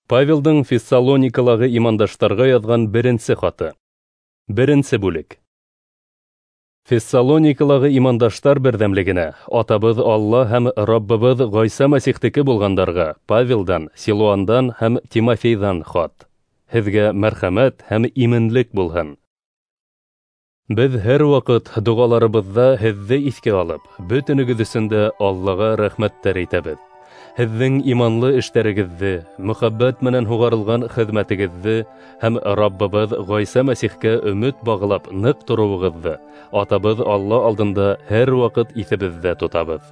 Павелдың Фессалоникалағы имандаштарға яҙған беренсе хаты. Беренсе бүлек. Фессалоникалағы имандаштар берҙәмлегенә, атабыҙ Алла һәм Раббыбыҙ Ғайса Мәсихтеке булғандарға Павелдан, Силуандан һәм Тимофейҙан хат. Һеҙгә мәрхәмәт һәм именлек булһын. Беҙ һәр ваҡыт доғаларыбыҙҙа һеҙҙе иҫкә алып, бөтөнөгөҙ өсөн дә Аллаға рәхмәттәр әйтәбеҙ. Һеҙҙең иманлы эштәрегеҙҙе, мөхәббәт менән һуғарылған хеҙмәтегеҙҙе һәм Раббыбыҙ Ғайса Мәсихкә өмөт бағлап ныҡ тороуығыҙҙы атабыҙ Алла алдында һәр ваҡыт иҫебеҙҙә тотабыҙ.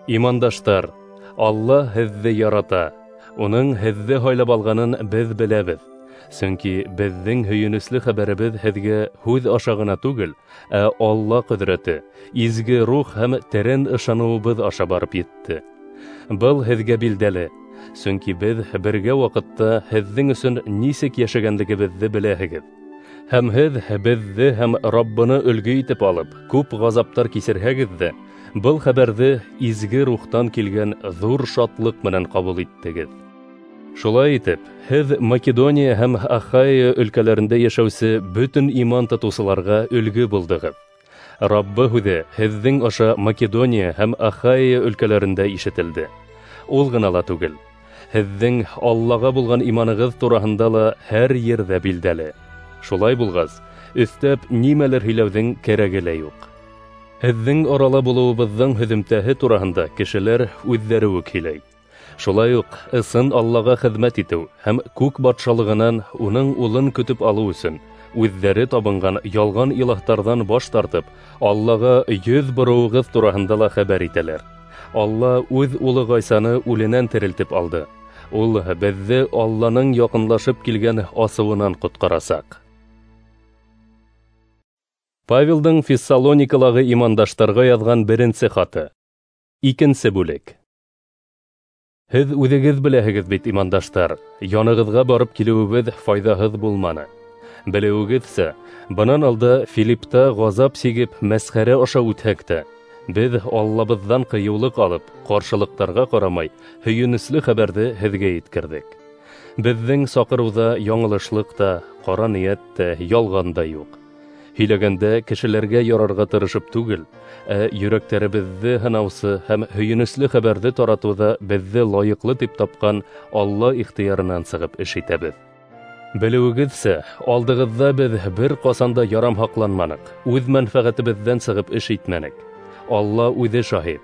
Имандаштар, Алла һеҙҙе ярата, уның һеҙҙе һайлап алғанын беҙ беләбеҙ. Сөнки беҙҙең һөйөнөслө хәбәребеҙ һеҙгә һүҙ аша ғына түгел, ә Алла ҡөҙрәте, изге рух һәм тәрән ышаныуыбыҙ аша барып етте. Был һеҙгә билдәле, сөнки беҙ бергә ваҡытта һеҙҙең өсөн нисек йәшәгәнлегебеҙҙе беләһегеҙ. Һәм һеҙ беҙҙе һәм Раббыны өлгө итеп алып, күп ғазаптар кисерһәгеҙ ҙә, был хәбәрҙе изге рухтан килгән ҙур шатлыҡ менән ҡабул иттегеҙ. Шулай итеп, һеҙ Македония һәм Ахайя өлкәләрендә йәшәүсе бөтөн иман тотоусыларға өлгө булдығыҙ. Раббы һүҙе һеҙҙең аша Македония һәм Ахайя өлкәләрендә ишетелде. Ул ғына ла түгел, һеҙҙең Аллаға булған иманығыҙ тураһында ла һәр ерҙә билдәле. Шулай булғас, өҫтәп нимәлер һөйләүҙең кәрәге лә юҡ. Һеҙҙең арала булыуыбыҙҙың һөҙөмтәһе тураһында кешеләр үҙҙәре үк һөйләй. Шулай уҡ ысын Аллаға хеҙмәт итеү һәм күк батшалығынан уның улын көтөп алыу өсөн үҙҙәре табынған ялған илаһтарҙан баш тартып, Аллаға йөҙ бороуығыҙ тураһында ла хәбәр итәләр. Алла үҙ улы Ғайсаны үленән терелтеп алды. Ул беҙҙе Алланың яҡынлашып килгән асыуынан ҡотҡарасаҡ. Павелдың Фессалоникалағы имандаштарға яҙған беренсе хаты. Икенсе бүлек. Һеҙ үҙегеҙ беләһегеҙ бит, имандаштар, янығыҙға барып килеүебеҙ файҙаһыҙ булманы. Белеүегеҙсә, бынан алда Филиппта ғазап сигеп мәсхәрә аша үтһәк тә, беҙ Аллабыҙҙан ҡыйыулыҡ алып, ҡаршылыҡтарға ҡарамай, һөйөнөслө хәбәрҙе һеҙгә еткерҙек. Беҙҙең саҡырыуҙа яңылышлыҡ та, ҡара ниәт тә, ялған да юҡ. Һөйләгәндә кешеләргә ярарға тырышып түгел, ә йөрәктәребеҙҙе һынаусы һәм һөйөнөслө хәбәрҙе таратыуҙа беҙҙе лайыҡлы тип тапҡан Алла ихтыярынан сығып эш итәбеҙ. Белеүегеҙсә, алдығыҙҙа беҙ бер ҡасан да ярамһаҡланманыҡ, үҙ мәнфәғәтебеҙҙән сығып эш итмәнек. Алла үҙе шаһит.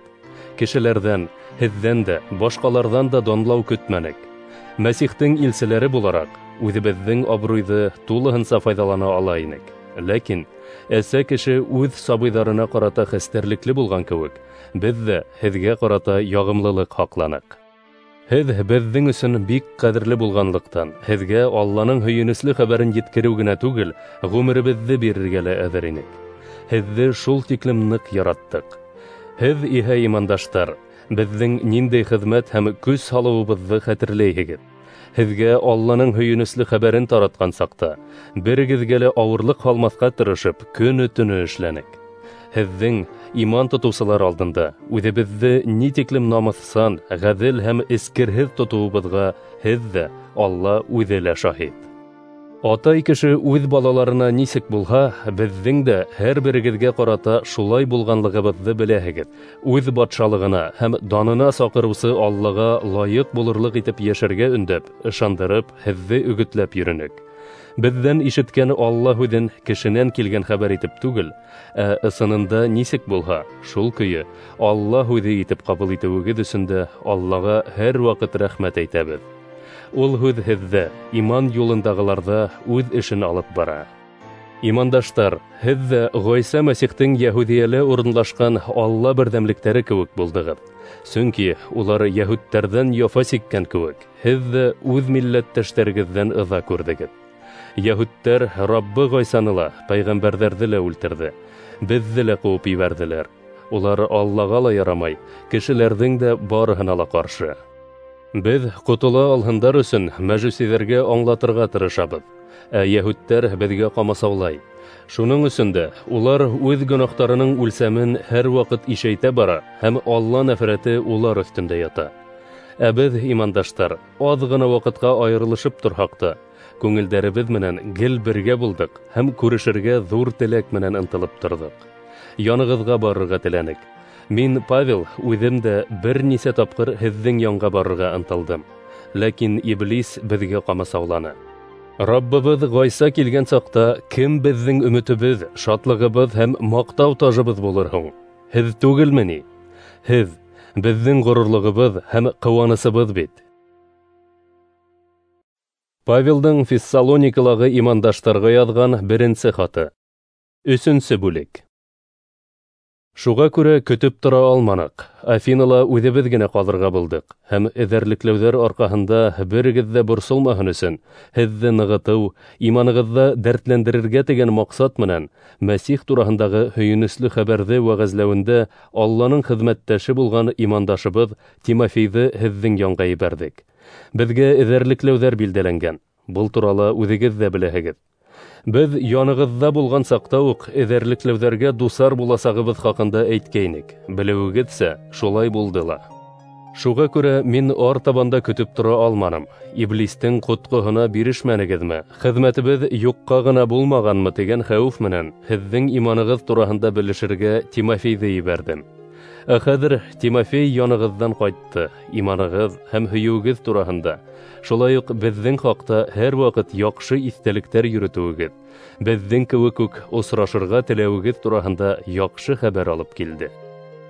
Кешеләрҙән, һеҙҙән дә, башҡаларҙан да данлау көтмәнек. Мәсихтең илселәре булараҡ, үҙебеҙҙең абруйҙы тулыһынса файҙалана ала инек. Ләкин әсә кеше үҙ сабыйҙарына ҡарата хәстәрлекле булған кеүек, беҙ ҙә һеҙгә ҡарата яғымлылыҡ һаҡланыҡ. Һеҙ беҙҙең өсөн бик ҡәҙерле булғанлыҡтан, һеҙгә Алланың һөйөнөслө хәбәрен еткереү генә түгел, ғүмеребеҙҙе бирергә лә әҙер инек. Һеҙҙе шул тиклем ныҡ яраттыҡ. Һеҙ иһә, имандаштар, беҙҙең ниндәй хеҙмәт һәм көс һалыуыбыҙҙы хәтерләйһегеҙ. Һеҙгә Алланың һөйөнөслө хәбәрен таратҡан саҡта, берегеҙгә лә ауырлыҡ һалмаҫҡа тырышып, көнө-төнө эшләнек. Һеҙҙең иман тотоусылар алдында үҙебеҙҙе ни тиклем намыҫсан, ғәҙел һәм эскерһеҙ тотоуыбыҙға һеҙ ҙә, Алла үҙе лә шаһит. Атай кеше үҙ балаларына нисек булһа, беҙҙең дә һәр берегеҙгә ҡарата шулай булғанлығыбыҙҙы беләһегеҙ. Үҙ батшалығына һәм данына саҡырыусы Аллаға лайыҡ булырлыҡ итеп йәшәргә өндәп, ышандырып, һеҙҙе өгөтләп йөрөнөк. Беҙҙән ишеткән Алла һүҙен кешенән килгән хәбәр итеп түгел, ә ысынында нисек булһа, шул көйө Алла һүҙе итеп ҡабул итеүегеҙ өсөн дә Аллаға һәр ваҡыт рәхмәт әйтәбеҙ. Ул һүҙ һеҙҙә, иман юлындағыларҙа үҙ эшен алып бара. Имандаштар, һеҙ ҙә Ғайса Мәсихтең йәһүҙиәлә урынлашҡан Алла берҙәмлектәре кеүек булдығыҙ. Сөнки улар йәһүдтәрҙән яфа сиккән кеүек, һеҙ ҙә үҙ милләттәштәрегеҙҙән ыҙа күрҙегеҙ. Йәһүдтәр Раббы Ғайсаны ла, пәйғәмбәрҙәрҙе лә үлтерҙе, беҙҙе лә ҡыуып ебәрҙеләр. Улар Аллаға ла ярамай, кешеләрҙең дә барыһына ла ҡаршы. Беҙ ҡотола алһындар өсөн мәжүсиҙәргә аңлатырға тырышабыҙ, ә йәһүдтәр беҙгә ҡамасаулай. Шуның өсөн дә улар үҙ гонаһтарының үлсәмен һәр ваҡыт ишәйтә бара һәм Алла нәфрәте улар өҫтөндә ята. Ә беҙ, имандаштар, аҙ ғына ваҡытҡа айырылышып торһаҡ та, күңелдәребеҙ менән гел бергә булдыҡ һәм күрешергә ҙур теләк менән ынтылып торҙоҡ. Янығыҙға барырға теләнек. Мин, Павел, үҙем дә бер нисә тапҡыр һеҙҙең янға барырға ынтылдым. Ләкин Иблис беҙгә ҡамасауланы. Раббыбыҙ Ғайса килгән саҡта кем беҙҙең өмөтөбөҙ, шатлығыбыҙ һәм маҡтау тажыбыҙ булыр һуң? Һеҙ түгелме ни? Һеҙ беҙҙең ғорурлығыбыҙ һәм ҡыуанысыбыҙ бит. Павелдың Фессалоникалағы имандаштарға яҙған беренсе хаты. 3-нсе бүлек. Шуға күрә көтөп тора алманыҡ. Афинала үҙебеҙ генә ҡалырға булдыҡ һәм эҙәрлекләүҙәр арҡаһында берегеҙ ҙә борсолмаһын өсөн һеҙҙе нығытыу, иманығыҙҙы дәртләндерергә тигән маҡсат менән Мәсих тураһындағы һөйөнөслө хәбәрҙе вәғәзләүендә Алланың хеҙмәттәше булған имандашыбыҙ Тимофейҙы һеҙҙең янға ебәрҙек. Беҙгә эҙәрлекләүҙәр билдәләнгән. Был турала үҙегеҙ ҙә беләһегеҙ. Беҙ янығыҙҙа булған саҡта уҡ эҙәрлекләүҙәргә дусар буласағыбыҙ хаҡында әйткәйнек. Белеүегеҙсә, шулай булды ла. Шуға күрә мин артабан да көтөп тора алманым. Иблистең ҡотҡоһона бирешмәнегеҙме? Хеҙмәтебеҙ юҡҡа ғына булмағанмы тигән хәүеф менән һеҙҙең иманығыҙ тураһында белешергә Тимофейҙы ебәрҙем. Ә хәҙер Тимофей янығыҙҙан ҡайтты. Иманығыҙ һәм һөйөүегеҙ тураһында, шулай уҡ беҙҙең хаҡта һәр ваҡыт яҡшы иҫтәлектәр йөрөтөүегеҙ, беҙҙең кеүек үк осрашырға теләүегеҙ тураһында яҡшы хәбәр алып килде.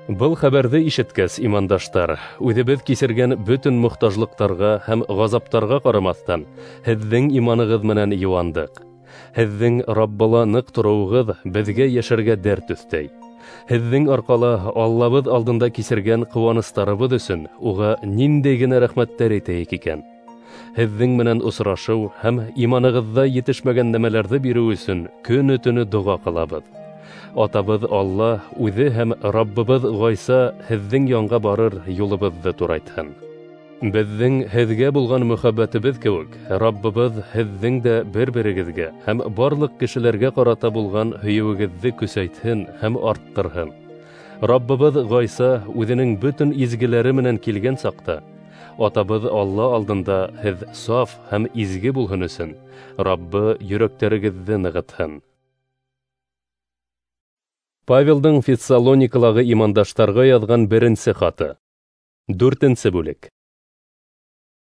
Был хәбәрҙе ишеткәс, имандаштар, үҙебеҙ кисергән бөтөн мохтажлыҡтарға һәм ғазаптарға ҡарамаҫтан, һеҙҙең иманығыҙ менән йыуандыҡ. Һеҙҙең Раббыла ныҡ тороуығыҙ беҙгә йәшәргә дәрт өҫтәй. Һеҙҙең арҡала Аллабыҙ алдында кисергән ҡыуаныстарыбыҙ өсөн уға ниндәй генә рәхмәттәр әйтәйек икән? Һеҙҙең менән осрашыу һәм иманығыҙҙа етешмәгән нәмәләрҙе биреү өсөн көнө-төнө доға ҡылабыҙ. Атабыҙ Алла үҙе һәм Раббыбыҙ Ғайса һеҙҙең янға барыр юлыбыҙҙы турайтһын. Беҙҙең һеҙгә булған мөхәббәтебеҙ кеүек, Раббыбыҙ һеҙҙең дә бер-берегеҙгә һәм барлыҡ кешеләргә ҡарата булған һөйөүегеҙҙе көсәйтһен һәм арттырһын. Раббыбыҙ Ғайса үҙенең бөтөн изгеләре менән килгән саҡта, Атабыҙ Алла алдында һеҙ саф һәм изге булһын өсөн, Раббы йөрәктәрегеҙҙе нығытһын. Павелдың Фессалоникалағы имандаштарға яҙған беренсе хаты. 4-нсе бүлек.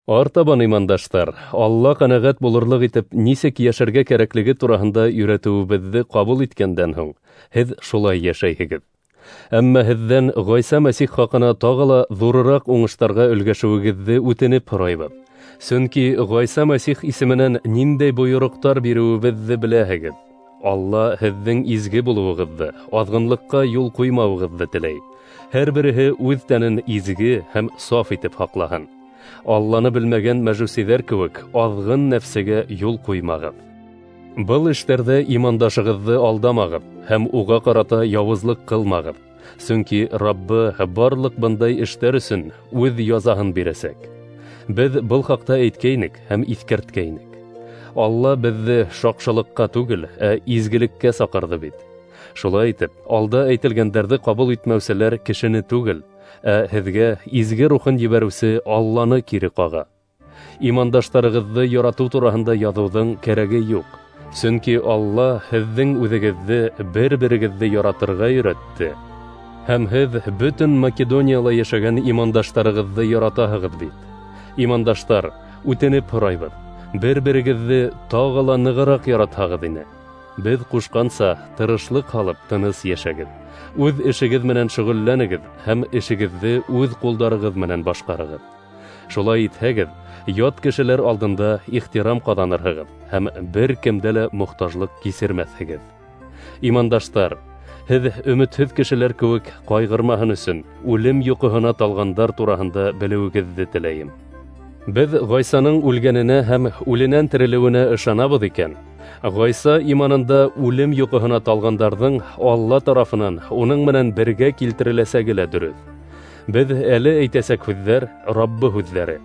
Артабан, имандаштар, Алла ҡәнәғәт булырлыҡ итеп нисек йәшәргә кәрәклеге тураһында өйрәтеүебеҙҙе ҡабул иткәндән һуң, һеҙ шулай йәшәйһегеҙ. Әммә һеҙҙән Ғайса Мәсих хаҡына тағы ла ҙурыраҡ уңыштарға өлгәшеүегеҙҙе үтенеп һорайбыҙ. Сөнки Ғайса Мәсих исеменән ниндәй бойороҡтар биреүебеҙҙе беләһегеҙ. Алла һеҙҙең изге булыуығыҙҙы, аҙғынлыҡҡа юл ҡуймауығыҙҙы теләй. Һәр береһе үҙ тәнен изге һәм саф итеп һаҡлаһын. Алланы белмәгән мәжүсиҙәр кеүек аҙғын нәфсегә юл ҡуймағыҙ. Был эштәрҙә имандашығыҙҙы алдамағыҙ һәм уға ҡарата яуызлыҡ ҡылмағыҙ. Сөнки Раббы барлыҡ бындай эштәр өсөн үҙ язаһын бирәсәк. Беҙ был хаҡта әйткәйнек һәм иҫкәрткәйнек. Алла беҙҙе шаҡшылыҡҡа түгел, ә изгелеккә саҡырҙы бит. Шулай итеп, алда әйтелгәндәрҙе ҡабул итмәүселәр кешене түгел, ә һеҙгә изге рухын ебәреүсе Алланы кире ҡаға. Имандаштарығыҙҙы яратыу тураһында яҙыуҙың кәрәге юҡ. Сөнки Алла һеҙҙең үҙегеҙҙе бер-берегеҙҙе яратырға өйрәтте. Һәм һеҙ бөтөн Македонияла йәшәгән имандаштарығыҙҙы яратаһығыҙ бит. Имандаштар, үтенеп һорайбыҙ, бер-берегеҙҙе тағы ла нығыраҡ яратһағыҙ ине. Беҙ ҡушҡанса тырышлыҡ һалып тыныс йәшәгеҙ. Үҙ эшегеҙ менән шөғөлләнегеҙ һәм эшегеҙҙе үҙ ҡулдарығыҙ менән башҡарығыҙ. Шулай итһәгеҙ, ят кешеләр алдында ихтирам ҡаҙанырһығыҙ һәм бер кемдә лә мохтажлыҡ кисермәҫһегеҙ. Имандаштар, һеҙ өмөтһөҙ кешеләр кеүек ҡайғырмаһын өсөн үлем йоҡоһона талғандар тураһында белеүегеҙҙе теләйем. Беҙ Ғайсаның үлгәненә һәм үленән терелеүенә ышанабыҙ икән, Ғайса иманында үлем йоҡоһона талғандарҙың Алла тарафынан уның менән бергә килтереләсәге лә дөрөҫ. Беҙ әле әйтәсәк һүҙҙәр Раббы һүҙҙәре.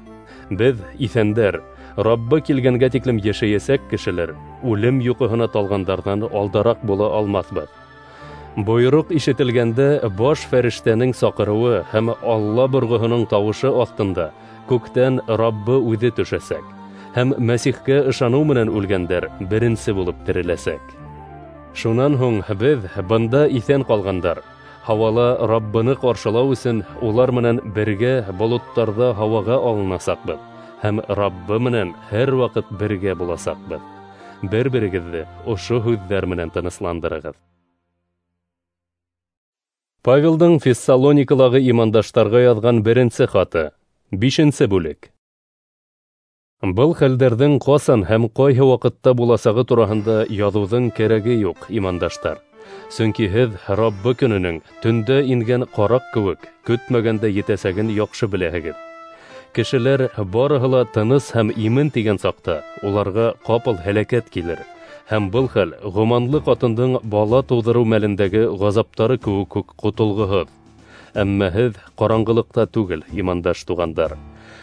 Беҙ иҫәндәр, Раббы килгәнгә тиклем йәшәйәсәк кешеләр үлем йоҡоһона талғандарҙан алдараҡ була алмаҫбыҙ. Бойороҡ ишетелгәндә баш фәрештәнең саҡырыуы һәм Алла борғоһоноң тауышы аҫтында Күктән Раббы үҙе төшәсәк, һәм Мәсихкә ышаныу менән үлгәндәр беренсе булып тереләсәк. Шунан һуң беҙ, бында иҫән ҡалғандар, һауала Раббыны ҡаршылау өсөн улар менән бергә болоттарҙа һауаға алынасаҡбыҙ һәм Раббы менән һәр ваҡыт бергә буласаҡбыҙ. Бер-берегеҙҙе ошо һүҙҙәр менән тынысландырығыҙ. Павелдың Фессалоникалағы имандаштарға яҙған беренсе хаты, 5-нсе бүлек. Был хәлдәрҙең ҡасан һәм ҡайһы ваҡытта буласағы тураһында яҙыуҙың кәрәге юҡ, имандаштар. Сөнки һеҙ Раббы көнөнөң төндә ингән ҡараҡ кеүек көтмәгәндә етәсәген яҡшы беләһегеҙ. Кешеләр барыһы ла тыныс һәм имен тигән саҡта уларға ҡапыл һәләкәт килер, һәм был хәл ғоманлы ҡатындың бала тыуҙырыу мәлендәге ғазаптары кеүек үк ҡотолғоһоҙ. Әммә һеҙ ҡараңғылыҡта түгел, имандаш туғандар.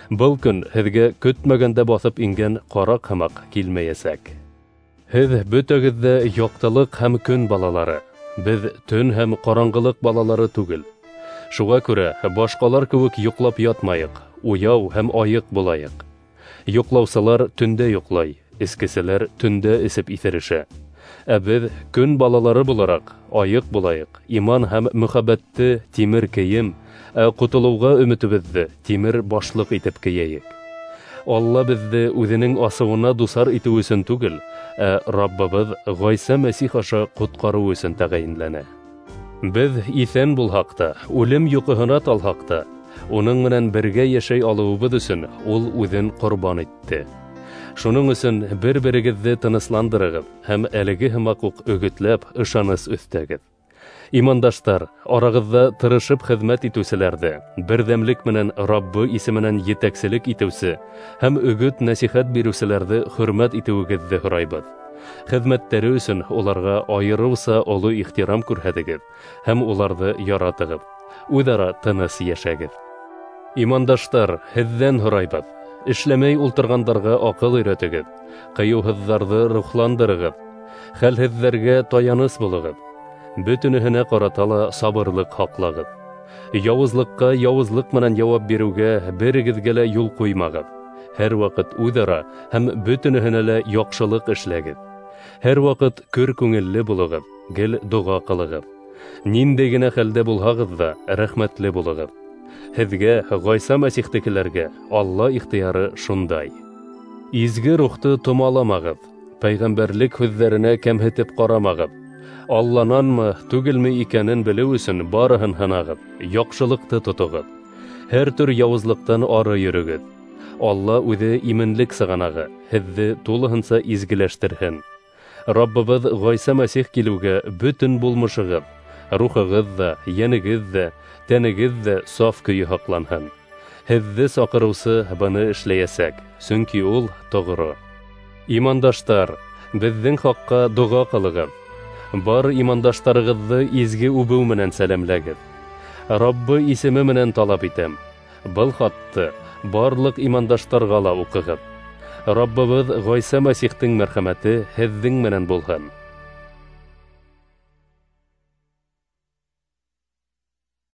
Был көн һеҙгә көтмәгәндә баҫып ингән ҡараҡ һымаҡ килмәйәсәк. Һеҙ бөтәгеҙ ҙә яҡтылыҡ һәм көн балалары, беҙ төн һәм ҡараңғылыҡ балалары түгел. Шуға күрә башҡалар кеүек йоҡлап ятмайыҡ, уяу һәм айыҡ булайыҡ. Йоҡлаусылар төндә йоҡлай, эскеселәр төндә эсеп иҫерешә. Ә беҙ көн балалары булараҡ айыҡ булайыҡ, иман һәм мөхәббәтте тимер кейем, ә ҡотолоуға өмөтөбөҙҙө тимер башлыҡ итеп кейәйек. Алла беҙҙе үҙенең асыуына дусар итеү өсөн түгел, ә Раббыбыҙ Ғайса Мәсих аша ҡотҡарыу өсөн тәғәйенләнә. Беҙ иҫән булһаҡ та, үлем йоҡоһона талһаҡ та, уның менән бергә йәшәй алыуыбыҙ өсөн ул үҙен ҡорбан итте. Шуның өсөн бер-берегеҙҙе тынысландырығыҙ һәм әлеге һымаҡ уҡ өгөтләп ышаныс өҫтәгеҙ. Имандаштар, арағыҙҙа тырышып хеҙмәт итеүселәрҙе, берҙәмлек менән Раббы исеменән етәкселек итеүсе һәм өгөт-нәсихәт биреүселәрҙе хөрмәт итеүегеҙҙе һорайбыҙ. Хеҙмәттәре өсөн уларға айырыуса оло ихтирам күрһәтегеҙ һәм уларҙы яратығыҙ. Үҙ-ара тыныс йәшәгеҙ. Имандаштар, һеҙҙән һорайбыҙ: эшләмәй ултырғандарға аҡыл өйрәтегеҙ, ҡыйыуһыҙҙарҙы рухландырығыҙ, хәлһеҙҙәргә таяныс булығыҙ, бөтөнөһөнә ҡарата ла сабырлыҡ һаҡлағыҙ. Яуызлыҡҡа яуызлыҡ менән яуап биреүгә берегеҙгә лә юл ҡуймағыҙ. Һәр ваҡыт үҙ-ара һәм бөтөнөһөнә лә яҡшылыҡ эшләгеҙ. Һәр ваҡыт көр күңелле булығыҙ, гел доға ҡылығыҙ. Ниндәй генә хәлдә булһағыҙ ҙа, рәхмәтле булығыҙ. Һеҙгә, Ғайса Мәсихтекеләргә, Алла ихтыяры шундай. Изге рухты томаламағыҙ, пәйғәмбәрлек һүҙҙәренә кәмһетеп ҡарамағыҙ. Аллананмы, түгелме икәнен белеү өсөн барыһын һынағыҙ, яҡшылыҡты тотоғоҙ. Һәр төр яуызлыҡтан ары йөрөгөҙ. Алла үҙе именлек сығанағы, һеҙҙе тулыһынса изгеләштерһен. Раббыбыҙ Ғайса Мәсих килеүгә бөтөн булмышығыҙ, рухығыҙ ҙа, йәнегеҙ ҙә, тәнегеҙ ҙә саф көйө һаҡланһын. Һеҙҙе саҡырыусы быны эшләйәсәк, сөнки ул тоғро. Имандаштар, беҙҙең хаҡҡа доға ҡылығыҙ. Бар имандаштарығыҙҙы изге үбеү менән сәләмләгеҙ. Раббы исеме менән талап итәм: был хатты барлыҡ имандаштарға ла уҡығыҙ. Раббыбыҙ Ғайса Мәсихтең мәрхәмәте һеҙҙең менән булһын.